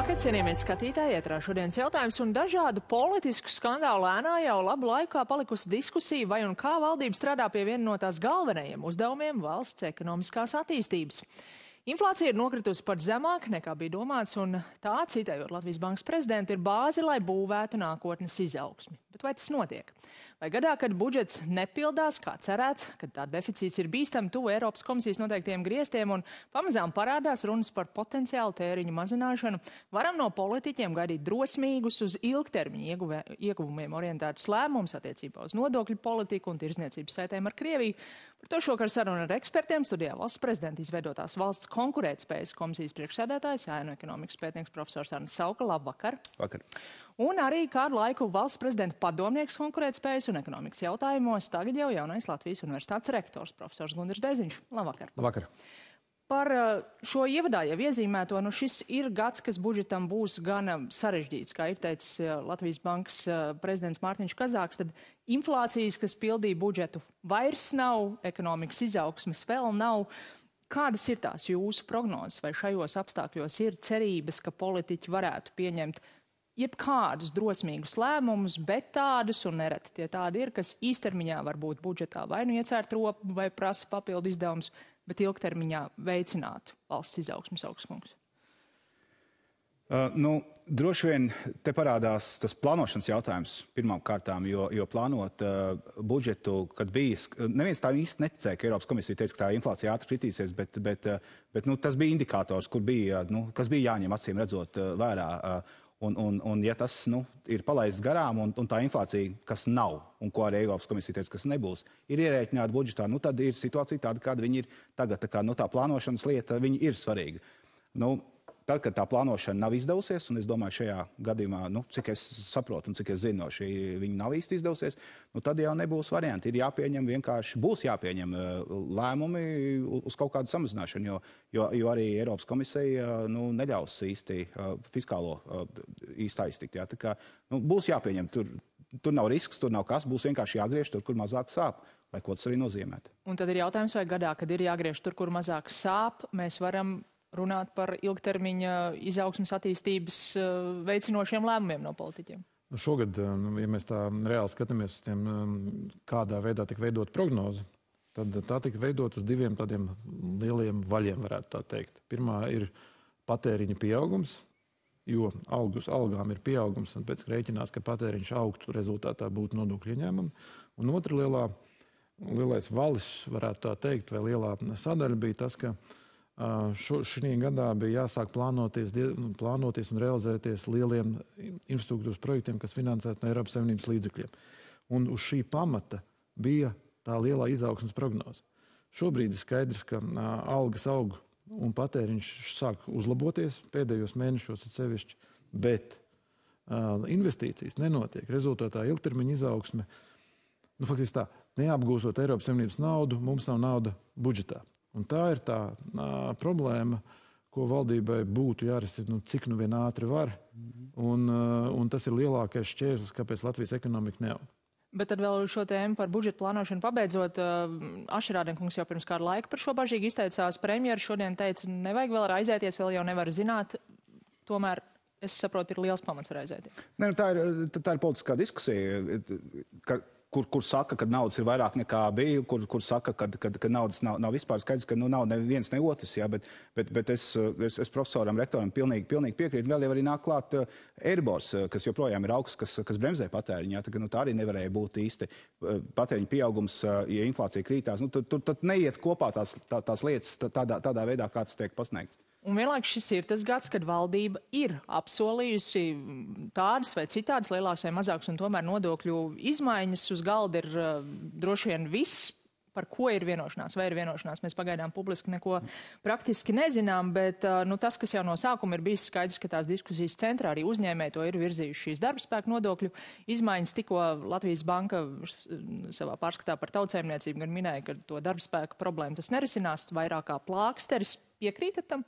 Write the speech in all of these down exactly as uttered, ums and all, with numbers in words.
Labvakar, cienījamies skatītāji, ietrā šodienas jautājums un dažādu politisku skandālu ēnā jau labu laikā palikusi diskusija, vai un kā valdība strādā pie viena no tās galvenajiem uzdevumiem valsts ekonomiskās attīstības. Inflācija ir nokritusi pat zemāk nekā bija domāts, un tā, citējot Latvijas Bankas prezidentu, ir bāze, lai būvētu nākotnes izaugsmi. Bet vai tas notiek? Vai gadā, kad budžets nepildās, kā cerēts, kad tā deficīts ir bīstami tuvu Eiropas komisijas noteiktiem griestiem un pamazām parādās runas par potenciālu tēriņu mazināšanu, varam no politiķiem gaidīt drosmīgus uz ilgtermiņu ieguvumiem orientētus lēmumus attiecībā uz nodokļu politiku un tirzniecības saitēm ar Krieviju. Par to šokar saruna ar ekspertiem studijā valsts prezidenta izveidotās valsts konkurētspējas komisijas priekšsēdētājs, ēnu ekonomikas pētnieks profesors Arnis Sauka. Labvakar! Vakar. Un arī kādu laiku valsts prezidenta padomnieks konkurētspējas un ekonomikas jautājumos, tagad jau jaunais Latvijas universitātes rektors profesors Gundirs Deziņš. Labvakar! Labvakar! Par šo ievadā jau iezīmēto, nu šis ir gads, kas budžetam būs gana sarežģīts, kā ir teicis Latvijas Bankas prezidents Mārtiņš Kazāks, tad inflācijas, kas pildīja budžetu, vairs nav, ekonomikas izaugsmes vēl nav. Kādas ir tās jūsu prognozes, vai šajos apstākļos ir cerības, ka politiķi varētu pieņemt jebkādus drosmīgus lēmumus, bet tādus, un nereti tie tādi ir, kas īstermiņā var būt budžetā vai nu iecērt ropu vai prasa papildu izdevumus, bet ilgtermiņā veicinātu valsts izaugsmas augstkungs? Uh, nu, droši vien te parādās tas plānošanas jautājums pirmām kārtām, jo, jo plānot uh, budžetu, kad bijis, neviens tā īsti neticēja, ka Eiropas komisija teica, ka tā inflācija ātri kritīsies, bet, bet, uh, bet nu, tas bija indikators, kur bija, nu, kas bija jāņem acīm redzot uh, vērā. Uh, Un, un, un ja tas nu, ir palaists garām, un, un tā inflācija, kas nav, un ko arī Eiropas komisija teica, kas nebūs, ir ierēķināta budžetā, nu, tad ir situācija tāda, kāda viņi ir tagad. Tā, kā, nu, tā plānošanas lieta, viņi ir svarīga. Nu, tad, kad tā plānošana nav izdevusies, un es domāju, šajā gadījumā, nu, cik es saprotu un cik es zinu, no šī viņa nav īsti izdevusies, nu, tad jau nebūs varianti. Ir jāpieņem vienkārši, būs jāpieņem lēmumi uz kaut kādu samazināšanu, jo, jo, jo arī Eiropas komisija nu, neļaus īsti fiskālo īsti aiztikt. Jā. Tā kā, nu, būs jāpieņem, tur, tur nav risks, tur nav kas, būs vienkārši jāgriež tur, kur mazāk sāp. Lai ko tas arī nozīmētu. Un tad ir jautājums, vai gadā, kad ir jāgriež tur, kur mazāk sāp, mēs varam runāt par ilgtermiņa izaugsmas attīstības veicinošiem lēmumiem no politiķiem? Šogad, ja mēs tā reāli skatāmies uz tiem, kādā veidā tika veidot prognozi, tad tā tika veidot uz diviem tādiem lieliem vaļiem, varētu tā teikt. Pirmā ir patēriņa pieaugums, jo algus algām ir pieaugums, un pēc rēķinās, ka patēriņš augtu, rezultātā būtu nodokļu ieņēmumi. Un otra lielā, lielais valis, varētu tā teikt, vai lielā sadaļa bija tas, ka Šo, šī gadā bija jāsāk plānoties, plānoties un realizēties lieliem infrastruktūras projektiem, kas finansēti no Eiropas Savienības līdzekļiem. Un uz šī pamata bija tā lielā izaugsmes prognoze. Šobrīd ir skaidrs, ka a, algas aug un patēriņš sāk uzlaboties pēdējos mēnešos atsevišķi, bet a, investīcijas nenotiek. Rezultātā ilgtermiņa izaugsme, nu, faktiski tā, neapgūstot Eiropas Savienības naudu, mums nav nauda budžetā. Un tā ir tā a, problēma, ko valdībai būtu jārisina, nu, cik nu vien ātri var. Un, a, un tas ir lielākais šķērslis, kāpēc Latvijas ekonomika neaug. Bet tad vēl šo tēmu par budžetu plānošanu pabeidzot, Ašerādenkungs jau pirms kāda laika par šo bažīgi izteicās. Premjeras šodien teica, nevajag vēl raizēties, vēl jau nevar zināt. Tomēr, es saprotu, ir liels pamats raizēties. Ne, nu, tā, ir, tā ir politiskā diskusija, ka Kur, kur saka, ka naudas ir vairāk nekā bija, kur, kur saka, ka, ka, ka naudas nav, nav vispār skaidrs, ka nu, nav neviens ne otrs. Jā, bet bet, bet es, es, es profesoram, rektoram pilnīgi, pilnīgi piekrītu. Vēl jau arī nāk klāt uh, Eiribors, uh, kas joprojām ir augsts, kas, kas bremzē patēriņu. Jā, tā, nu, tā arī nevarēja būt īsti uh, patēriņu pieaugums, uh, ja inflācija krītās. Nu, tur, tur, tur neiet kopā tās, tā, tās lietas tādā, tādā veidā, kā tas tiek pasniegts. Un vienlaikus šis ir tas gads, kad valdība ir apsolījusi tādas vai citādas lielākas vai mazākas, un tomēr nodokļu izmaiņas uz galda ir uh, droši vien viss, par ko ir vienošanās, vai ir vienošanās. Mēs pagaidām publiski neko praktiski nezinām, bet uh, nu, tas, kas jau no sākuma ir bijis skaidrs, ka tās diskusijas centrā arī uzņēmēji to ir virzījuši šīs darbspēka nodokļu izmaiņas. Tikko Latvijas Banka savā pārskatā par tautsēmniecību gan minēja, ka to darbspēka problēmu tas nerisinās, vairāk kā plāksteris. Piekrītat tam?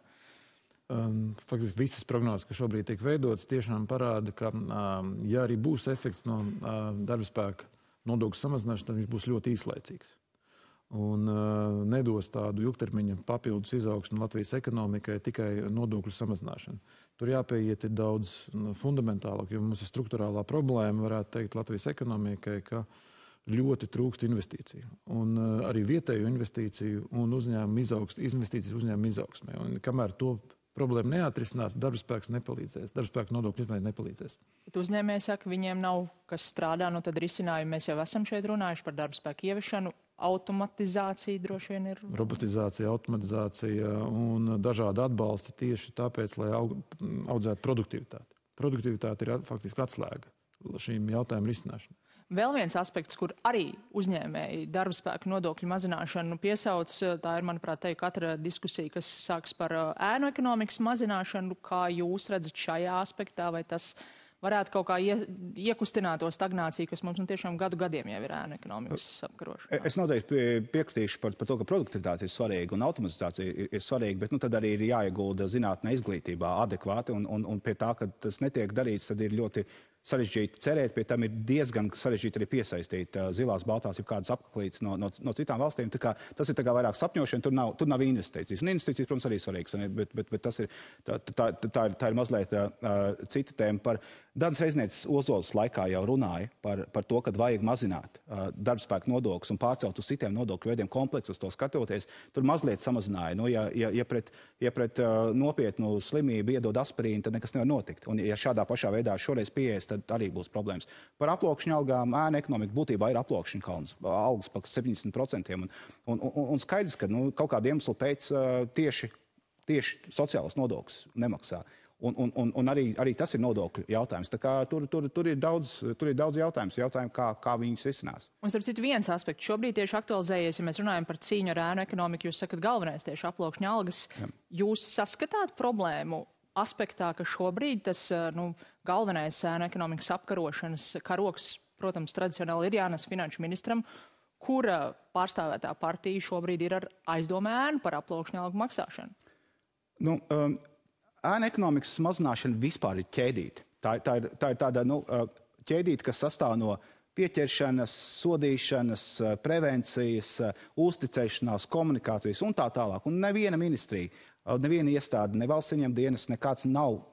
Um, faktiski visas prognozes, kas šobrīd tiek veidotas, tiešām parāda, ka, um, ja arī būs efekts no uh, darba spēka nodokļu samazināšanas, tad viņš būs ļoti īslaicīgs. un uh, nedos tādu ilgtermiņa papildus izaugsmu Latvijas ekonomikai tikai nodokļu samazināšanu. Tur jāpieiet ir daudz nu, fundamentālāk, jo mums ir struktūrālā problēma, varētu teikt, Latvijas ekonomikai, ka ļoti trūkst investīciju. Un uh, arī vietēju investīciju un uzņēmumu izaugs, investīcijas uzņēmumu izaugsmē. Un kamēr to problēma neatrisinās, darbspēks nepalīdzēs, darbspēka nodokļu nepalīdzēs. Bet uzņēmēji saka, viņiem nav kas strādā, nu tad risinājumi mēs jau esam šeit runājuši par darbspēku ieviešanu, automatizācija droši vien ir. Robotizācija, automatizācija un dažādi atbalsti tieši tāpēc, lai aug, audzētu produktivitāti. Produktivitāte ir faktiski atslēga šīm jautājumu risināšanai. Vēl viens aspekts, kur arī uzņēmēji darbspēku nodokļu mazināšanu piesauc, tā ir, manuprāt, te katra diskusija, kas sāks par ēnu ekonomikas mazināšanu. Kā jūs redzat šajā aspektā, vai tas varētu kaut kā ie, iekustināt to stagnāciju, kas mums nu, tiešām gadu gadiem jau ir ēnu ekonomikas apkarošana? Es noteikti piekritīšu par, par to, ka produktivitāte ir svarīga un automatizācija ir, ir svarīga, bet nu, tad arī ir jāiegulda zinātnē izglītībā adekvāti, un, un, un pie tā, ka tas netiek darīts, tad ir ļoti sarežģīti cerēt, pie tam ir diezgan sarežģīti arī piesaistīt uh, zilās, baltās, jau kādas apkaklītes no, no, no citām valstīm. Tā kā, tas ir tā kā vairāk sapņošana, tur nav, tur nav investīcijas. Un investīcijas, protams, arī svarīgas, bet, bet, bet tas ir, tā, tā, tā, ir, tā ir mazliet uh, cita tēma. Par Danas Reiznieces Ozolas laikā jau runāja par, par to, ka vajag mazināt uh, darbspēku nodokļus un pārcelt uz citiem nodokļu veidiem kompleksus, to skatoties. Tur mazliet samazināja. Nu, ja, ja, ja pret, ja pret uh, nopietnu slimību iedod aspirīnu, tad nekas nevar notikt. Un ja šādā pašā veidā šoreiz pieejas, tad arī būs problēmas. Par aploksņu algām ēna ekonomika būtībā ir aploksņu kalns, algas par septiņdesmit procentiem. Un, un, un, un skaidrs, ka nu, kaut kādu iemeslu pēc uh, tieši, tieši sociālas nodokļus nemaksā. Un, un, un, un arī, arī tas ir nodokļu jautājums. Tā kā tur, tur, tur, ir daudz, tur ir daudz jautājums, jautājumi, kā, kā viņus risinās. Un starp citu viens aspekts šobrīd tieši aktualizējies, ja mēs runājam par cīņu ar ēnu ekonomiku, jūs sakat galvenais tieši aploksņu algas. Jā. Jūs saskatāt problēmu aspektā, ka šobrīd tas nu, galvenais ēnu ekonomikas apkarošanas karoks, protams, tradicionāli ir jānes finanšu ministram, kura pārstāvētā partija šobrīd ir ar aizdomu ēnu par aploksņu algu maksāšanu? Nu, um, ēnu ekonomikas mazināšana vispār ir ķēdīta. Tā, tā, ir, tā ir tāda nu, ķēdīta, kas sastāv no pieķeršanas, sodīšanas, prevencijas, uzticēšanās, komunikācijas un tā tālāk. Un neviena ministrija, neviena iestāde, ne valsts ieņem dienas, nekāds nav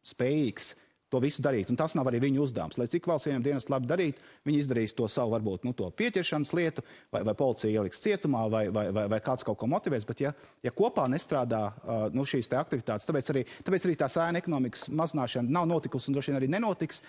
spējīgs to visu darīt. Un tas nav arī viņu uzdevums. Lai cik valsts ieņem dienas labi darīt, viņi izdarīs to savu, varbūt, nu, to pieķeršanas lietu, vai, vai policija ieliks cietumā, vai, vai, vai, vai kāds kaut ko motivēs. Bet ja, ja kopā nestrādā uh, nu, šīs te aktivitātes, tāpēc arī, tāpēc arī tā ēnu ekonomikas mazināšana nav notikusi un droši vien arī nenotiks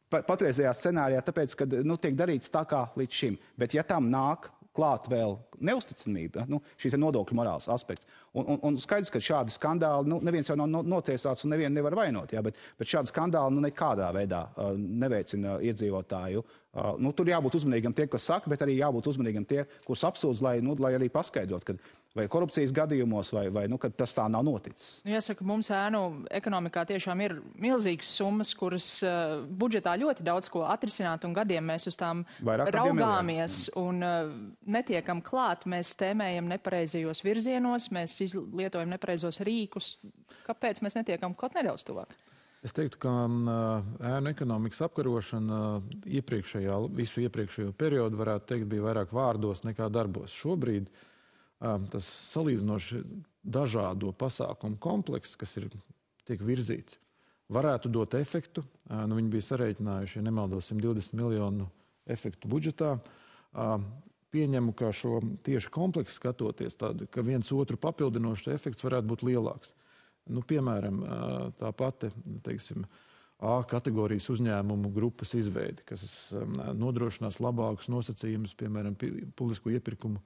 patreizējā scenārijā, tāpēc, ka nu, tiek darīts tā kā līdz šim. Bet ja tam nāk klāt vēl neusticamība, nu, šī nodokļu morāls aspekts. Un, un, un skaidrs, ka šādi skandāli, nu, neviens jau nav notiesāts un nevienu nevar vainot, jā, bet, bet šādi skandāli nu, nekādā veidā uh, neveicina iedzīvotāju. Uh, nu, tur jābūt uzmanīgam tie, kas saka, bet arī jābūt uzmanīgam tie, kurus apsūdz, lai, nu, lai arī paskaidrot, kad vai korupcijas gadījumos, vai, vai nu, kad tas tā nav noticis. Nu, jāsaka, mums ēnu ekonomikā tiešām ir milzīgas summas, kuras uh, budžetā ļoti daudz ko atrisināt, un gadiem mēs uz tām Vairāk raugāmies un uh, netiekam klāt, mēs tēmējam nepareizajos virzienos, mēs lietojam nepareizos rīkus. Kāpēc mēs netiekam kaut nedaudz tuvāk? Es teiktu, ka ēnu ekonomikas apkarošana iepriekšējā, visu iepriekšējo periodu, varētu teikt, bija vairāk vārdos nekā darbos. Šobrīd tas salīdzinoši dažādo pasākumu komplekss, kas ir tiek virzīts, varētu dot efektu. Nu, viņi bija sarēķinājuši, ja nemaldos, simt divdesmit miljonu efektu budžetā. Pieņemu, ka šo tieši kompleksu skatoties, tādu, ka viens otru papildinošs efekts varētu būt lielāks. Nu, piemēram, tā pati, teiksim, A kategorijas uzņēmumu grupas izveidi, kas nodrošinās labākus nosacījumus, piemēram, publisko iepirkumu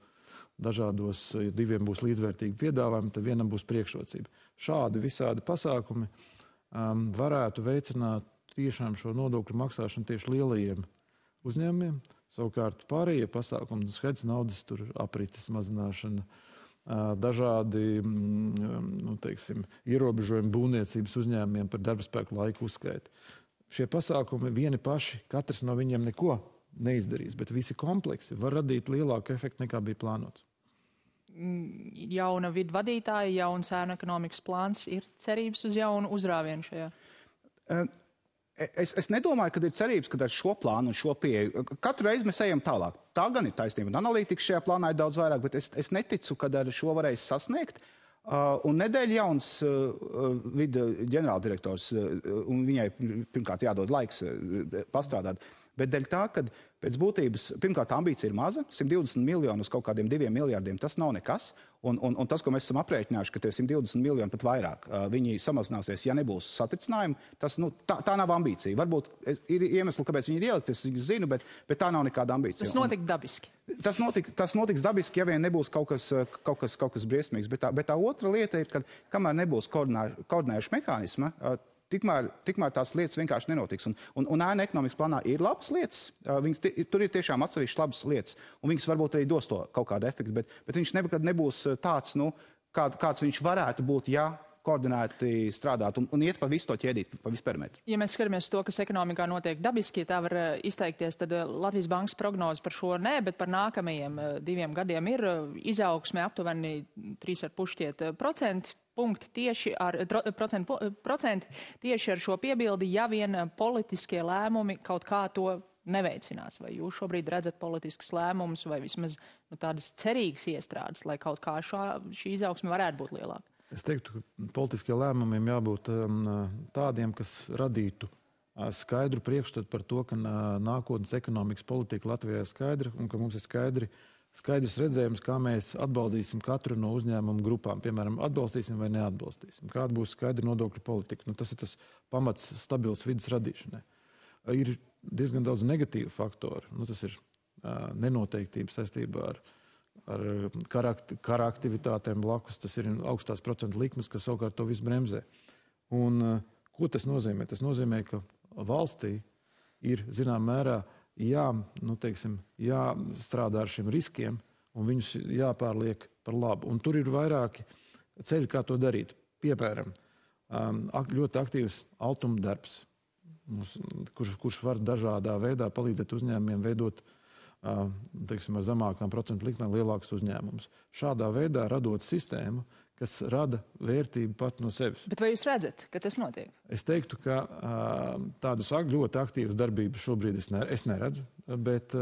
dažādos, ja diviem būs līdzvērtīgi piedāvājumi, tad vienam būs priekšrocība. Šādi visādi pasākumi um, varētu veicināt tiešām šo nodokļu maksāšanu tieši lielajiem uzņēmumiem. Savukārt pārējie pasākumi, skaidrs naudas, tur aprites mazināšana, dažādi nu, teiksim, ierobežojumi būvniecības uzņēmumiem par darbspēku laiku uzskaiti. Šie pasākumi vieni paši, katrs no viņiem neko neizdarīs, bet visi kompleksi var radīt lielāku efektu nekā bija plānots. Jauna vidu vadītāja, jauns ēnu ekonomikas plāns, ir cerības uz jaunu uzrāvienu šajā? Es, es nedomāju, ka ir cerības, ka ar šo plānu un šo pieeju katru reizi mēs ejam tālāk. Tā gan ir taisnība. Un analītikas šajā plānā ir daudz vairāk, bet es, es neticu, ka ar šo varēs sasniegt. Uh, un nedēļa jauns uh, vida ģenerāldirektors, uh, un viņai pirmkārt jādod laiks uh, pastrādāt. Bet dēļ tā, ka pēc būtības, pirmkārt, ambīcija ir maza, simt divdesmit miljoni uz kaut kādiem diviem miljardiem, tas nav nekas. Un, un, un tas, ko mēs esam aprēķinājuši, ka tie simt divdesmit miljoni pat vairāk, uh, viņi samazināsies, ja nebūs satricinājumi, tas, nu, tā, tā nav ambīcija. Varbūt ir iemesli, kāpēc viņi ir ielikt, es zinu, bet, bet tā nav nekāda ambīcija. Tas notika dabiski. Un, tas, notik, tas notiks dabiski, ja vien nebūs kaut kas, kaut kas, kaut kas briesmīgs. Bet tā, bet tā otra lieta ir, ka kamēr nebūs koordinē, koordinējuši mehānisma, uh, Tikmēr, tikmēr tās lietas vienkārši nenotiks. Un, un, un ēna ekonomikas plānā ir labas lietas. Viņas, tur ir tiešām atsevišķas labas lietas. Un viņas varbūt arī dos to kaut kādu efektu. Bet, bet viņš nekad nebūs tāds, nu, kā, kāds viņš varētu būt, ja koordinēti strādāt un, un iet pa visu to ķēdīt, pa visu perimetru. Ja mēs skatāmies to, kas ekonomikā notiek dabiski, ja tā var izteikties, tad Latvijas bankas prognoze par šo nē, bet par nākamajiem diviem gadiem ir izaugsme aptuveni trīs ar pušķiet procenti. Punkti tieši ar, procentu, procenti tieši ar šo piebildi, ja vien politiskie lēmumi kaut kā to neveicinās. Vai jūs šobrīd redzat politiskus lēmumus vai vismaz nu, tādas cerīgas iestrādes, lai kaut kā šā, šī izaugsme varētu būt lielāka? Es teiktu, ka politiskiem lēmumiem jābūt um, tādiem, kas radītu uh, skaidru priekšstatu par to, ka uh, nākotnes ekonomikas politika Latvijā ir skaidra un ka mums ir skaidri Skaidrs redzējums, kā mēs atbaldīsim katru no uzņēmumu grupām. Piemēram, atbalstīsim vai neatbalstīsim. Kāda būs skaidra nodokļu politika. Nu, tas ir tas pamats stabils vidas radīšanai. Ir diezgan daudz negatīvu faktoru. Nu, tas ir uh, nenoteiktība saistībā ar, ar kara, kara aktivitātēm blakus. Tas ir augstās procentu likmes, kas savukārt to visu bremzē. Un uh, ko tas nozīmē? Tas nozīmē, ka valstī ir, zinām mērā, Jā, nu, teiksim, jāstrādā ar šiem riskiem un viņus jāpārliek par labu. Un tur ir vairāki ceļi, kā to darīt. Piemēram, ļoti aktīvs altuma darbs, kurš, kurš var dažādā veidā palīdzēt uzņēmumiem veidot teiksim, ar zemākām procentu likmēm lielākus uzņēmumus. Šādā veidā radot sistēmu, kas rada vērtību pat no sevis. Bet vai jūs redzat, ka tas notiek? Es teiktu, ka tādas ļoti aktīvas darbības šobrīd es, ne, es neredzu, bet,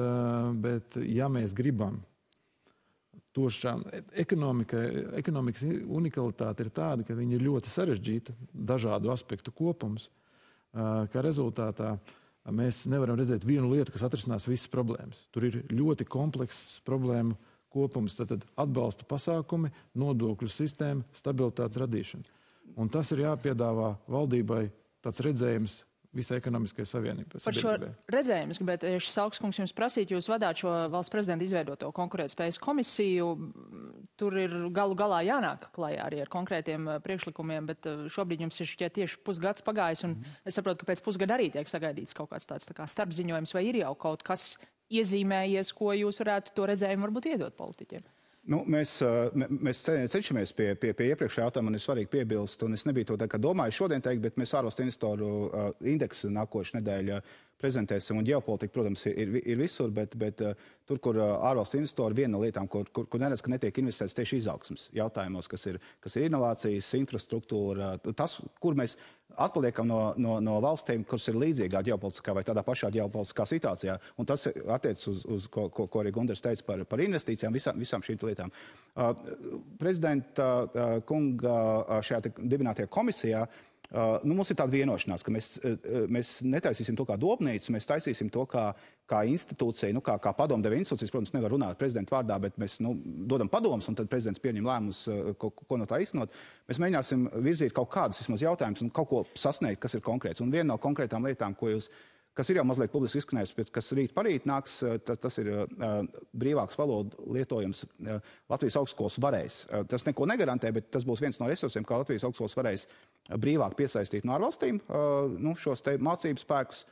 bet ja mēs gribam to šā, ekonomika, ekonomikas unikalitāte ir tāda, ka viņa ir ļoti sarežģīta, dažādu aspektu kopums, ka rezultātā mēs nevaram redzēt vienu lietu, kas atrisinās visas problēmas. Tur ir ļoti komplekss problēmu kopums, tad atbalsta pasākumi, nodokļu sistēma, stabilitātes radīšana. Un tas ir jāpiedāvā valdībai tāds redzējums visai ekonomiskai savienībai. Par šo redzējumu es gribētu tieši Saukskungs jums prasīt, jūs vadāt šo valsts prezidenta izveidoto konkurētspējas komisiju. Tur ir galu galā jānāk klajā arī ar konkrētiem priekšlikumiem, bet šobrīd jums ir šķiet tieši pusgads pagājis, un mm-hmm. es saprotu, ka pēc pusgada arī tiek sagaidīts kaut kāds tāds tā kā starpziņojums, vai ir jau kaut kas iezīmējies, ko jūs varētu to redzējumu varbūt iedot politiķiem? Nu, mēs, mēs cenšamies pie, pie, pie iepriekšējā jautājuma, man ir svarīgi piebilst, un es nebiju to tā kā domāju šodien teikt, bet mēs ārvalstu investoru uh, indeksu nākošu nedēļu prezentēsim, un ģeopolitika, protams, ir, ir visur, bet, bet uh, tur, kur uh, ārvalstu investori, viena no lietām, kur, kur, kur neredz, ka netiek investēts tieši izaugsmas jautājumos, kas ir, kas ir inovācijas, infrastruktūra, tas, kur mēs atpaliekam no, no, no valstīm, kuras ir līdzīgā ģeopolitiskā vai tādā pašā ģeopolitiskā situācijā. Un tas attiec uz, uz ko, ko, ko arī Gundars teica par, par investīcijām, visām, visām šīm lietām. Uh, prezidenta uh, kunga uh, šajā dibinātajā komisijā Uh, nu, mums ir tāda vienošanās, ka mēs, uh, mēs netaisīsim to kā dobnīcu, mēs taisīsim to kā, kā institūcija, nu, kā, kā padomdeva institūcijas, protams, nevar runāt prezidenta vārdā, bet mēs nu, dodam padomus, un tad prezidents pieņem lēmumus, uh, ko, ko no tā īstenot. Mēs mēģināsim virzīt kaut kādus vismaz jautājumus un kaut ko sasniegt, kas ir konkrēts. Un viena no konkrētām lietām, ko jūs, kas ir jau mazliet publiski izskanējusi, bet kas rīt parīt nāks, tas, tas ir uh, brīvāks valodu lietojums. Uh, Latvijas augstskolas varēs. Uh, tas neko negarantē, bet tas būs viens no resursiem, kā Latvijas augstskolas varēs brīvāk piesaistīt no ārvalstīm uh, nu, šos te mācību spēkus.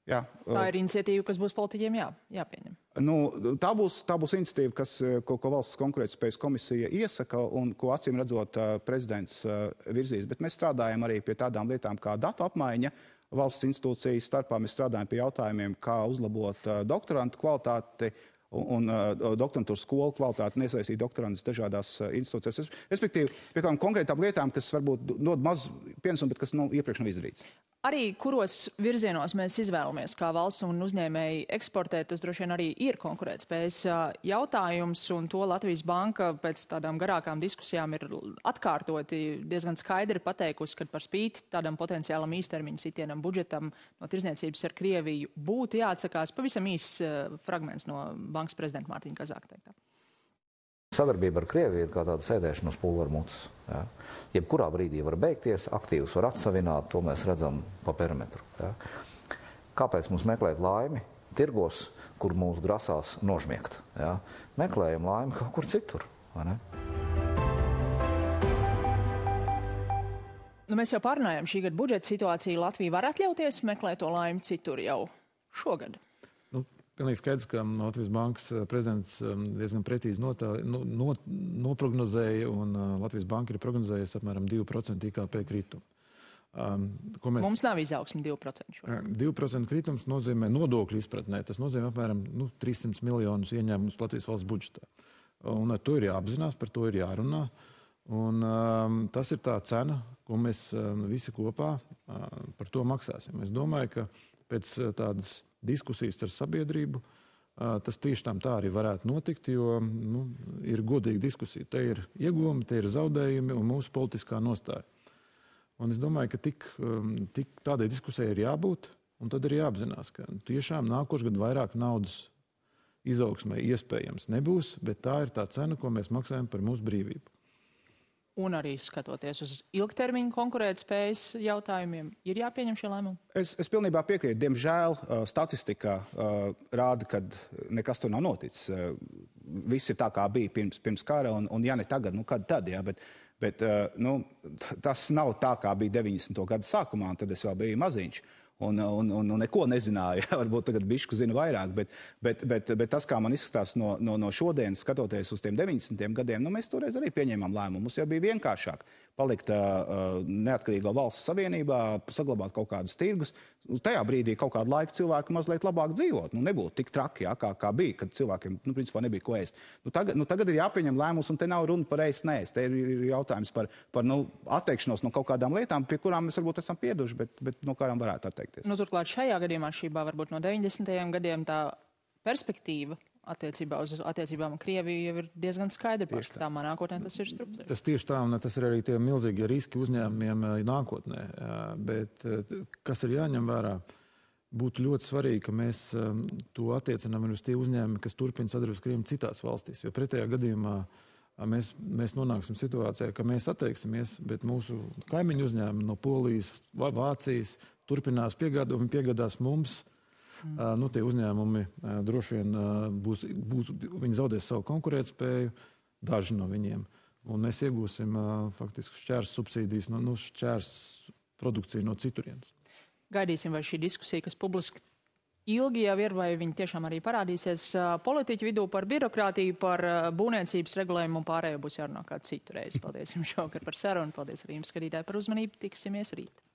Jā, uh, tā ir iniciatīva, kas būs politiķiem jā, jāpieņem. Nu, tā, būs, tā būs iniciatīva, kas, ko, ko valsts konkurētspējas komisija iesaka un ko acīm redzot uh, prezidents uh, virzīs. Bet mēs strādājam arī pie tādām lietām kā datu apmaiņa. Valsts institūcijas starpā mēs strādājam pie jautājumiem, kā uzlabot uh, doktorantu kvalitāti un, un uh, doktorantūras skolu kvalitāti, nesaistīt doktorantus dažādās uh, institūcijās. Respektīvi, pie kādām konkrētām lietām, kas varbūt dod maz pienesumu, bet kas nu, iepriekš nav izdarīts. Arī kuros virzienos mēs izvēlamies, kā valsts un uzņēmēji eksportēt, tas droši vien arī ir konkurētspējas jautājums, un to Latvijas Banka pēc tādām garākām diskusijām ir atkārtoti diezgan skaidri pateikusi, ka par spīti tādam potenciālam īstermiņa sitienam budžetam no tirzniecības ar Krieviju būtu jāatsakās. Pavisam īs fragments no bankas prezidenta Mārtiņa Kazāka teiktā. Sadarbība ar Krieviju ir kā tāda sēdēšana uz pulveru mutes. Ja. Jebkurā brīdī var beigties, aktīvus var atsavināt, to mēs redzam pa perimetru. Ja. Kāpēc mums meklēt laimi tirgos, kur mūs grasās nožmiegt? Ja. Meklējam laimi kaut kur citur, vai ne? Nu, mēs jau pārunājām šī gada budžeta situāciju. Latvija var atļauties meklēt to laimi citur jau šogad. Pilnīgi skaidrs, ka Latvijas Bankas prezidents diezgan precīzi notā, no, no, noprognozēja, un Latvijas Banka ir prognozējusi apmēram divu procentu I K P kritumu. Um, mēs... Mums nav izaugsme divi procenti. divu procentu kritums nozīmē nodokļu izpratnē. Tas nozīmē apmēram nu, trīs simtus miljonus ieņēmumus Latvijas valsts budžetā. Un ar to ir jāapzinās, par to ir jārunā. Un, um, tas ir tā cena, ko mēs um, visi kopā uh, par to maksāsim. Es domāju, ka pēc uh, tādas diskusijas ar sabiedrību, tas tieši tam tā arī varētu notikt, jo nu, ir godīga diskusija. Te ir ieguvumi, te ir zaudējumi un mūsu politiskā nostāja. Un es domāju, ka tik, tik tādai diskusijai ir jābūt, un tad ir jāapzinās, ka tiešām nākošais gadu vairāk naudas izaugsmē iespējams nebūs, bet tā ir tā cena, ko mēs maksājam par mūsu brīvību. Un arī skatoties uz ilgtermiņu konkurētspējas jautājumiem, ir jāpieņem šie lēmumi? Es, es pilnībā piekrītu. Diemžēl statistika uh, rāda, ka nekas tur nav noticis. Uh, viss ir tā, kā bija pirms, pirms kara, un, un ja ne tagad, nu kad tad, jā, bet, bet uh, nu, tas nav tā, kā bija deviņdesmito gadu sākumā, un tad es vēl biju maziņš. Un, un, un, un neko nezināju. Varbūt tagad bišķi zinu vairāk, bet, bet, bet, bet tas, kā man izskatās no, no, no šodienas, skatoties uz tiem deviņdesmitiem gadiem, nu, mēs toreiz arī pieņēmām lēmumu. Mums jau bija vienkāršāk palikt uh, neatkarīgā valsts savienībā, saglabāt kaut kādus tirgus. Tajā brīdī kaut kādu laiku cilvēki mazliet labāk dzīvot. Nu, nebūtu tik traki, jā, kā, kā bija, kad cilvēkiem nu, principā nebija ko ēst. Nu, tagad, nu, tagad ir jāpieņem lēmums, un te nav runa par ēst neēst. Te ir jautājums par, par nu, atteikšanos no kaut kādām lietām, pie kurām mēs varbūt esam pieduši, bet, bet no kādām varētu atteikties. Nu, turklāt šajā gadījumā šībā varbūt no deviņdesmitajiem gadiem tā perspektīva attiecībā uz attiecībām ar Krieviju jau ir diezgan skaidri pārskatāmā nākotnē, tas ir strupceļš. Tas tieši tā, un tas ir arī tie milzīgie riski uzņēmumiem nākotnē. Bet kas ir jāņem vērā, būtu ļoti svarīgi, ka mēs to attiecinām uz tie uzņēmumi, kas turpina sadarbības Krieviju citās valstīs, jo pretējā gadījumā mēs, mēs nonāksim situācijā, ka mēs atteiksimies, bet mūsu kaimiņu uzņēmumi no Polijas vai Vācijas turpinās piegādāt un piegādās mums. Mm. Uh, nu, tie uzņēmumi uh, droši vien uh, būs, būs, viņi zaudēs savu konkurētspēju, daži no viņiem. Un mēs iegūsim uh, faktiski šķērs subsīdijas, no, nu, šķērs produkciju no citurienes. Gaidīsim, vai šī diskusija, kas publiski ilgi jau ir, vai viņi tiešām arī parādīsies uh, politiķu vidū par birokrātiju, par uh, būvniecības regulējumu un pārējo būs jārunā kādu citu reizi. Paldies jums šovakar par sarunu, paldies arī jums, skatītāji, par uzmanību. Tiksimies rīt.